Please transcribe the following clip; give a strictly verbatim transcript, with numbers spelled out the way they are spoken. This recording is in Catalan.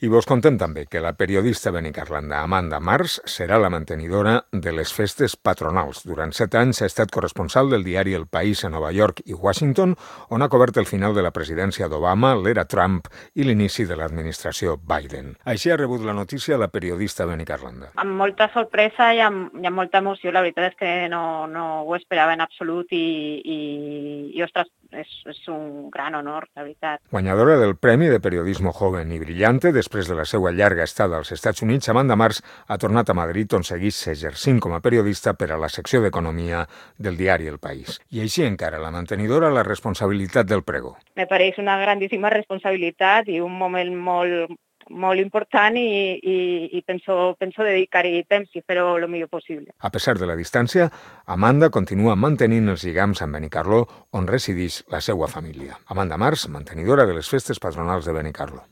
I vos contem també que la periodista benicarlanda Amanda Mars serà la mantenidora de les festes patronals. Durant set anys ha estat corresponsal del diari El País a Nova York i Washington, on ha cobert el final de la presidència d'Obama, l'era Trump i l'inici de l'administració Biden. Així ha rebut la notícia la periodista benicarlanda. Amb molta sorpresa i amb, i amb molta emoció. La veritat és que no, no ho esperava en absolut i, i, i ostres, és, és un gran honor, la veritat. Guanyadora del Premi de Periodismo Joven i Brillante, després de la seva llarga estada als Estats Units, Amanda Mars ha tornat a Madrid, on segueix exercint com a periodista per a la secció d'Economia del diari El País. I així encara la mantenidora la responsabilitat del pregó. Me pareix una grandíssima responsabilitat i un moment molt, molt important i, i, i penso, penso dedicar-hi temps i fer-ho el millor possible. A pesar de la distància, Amanda continua mantenint els lligams amb Benicarló, on resideix la seva família. Amanda Mars, mantenidora de les festes patronals de Benicarló.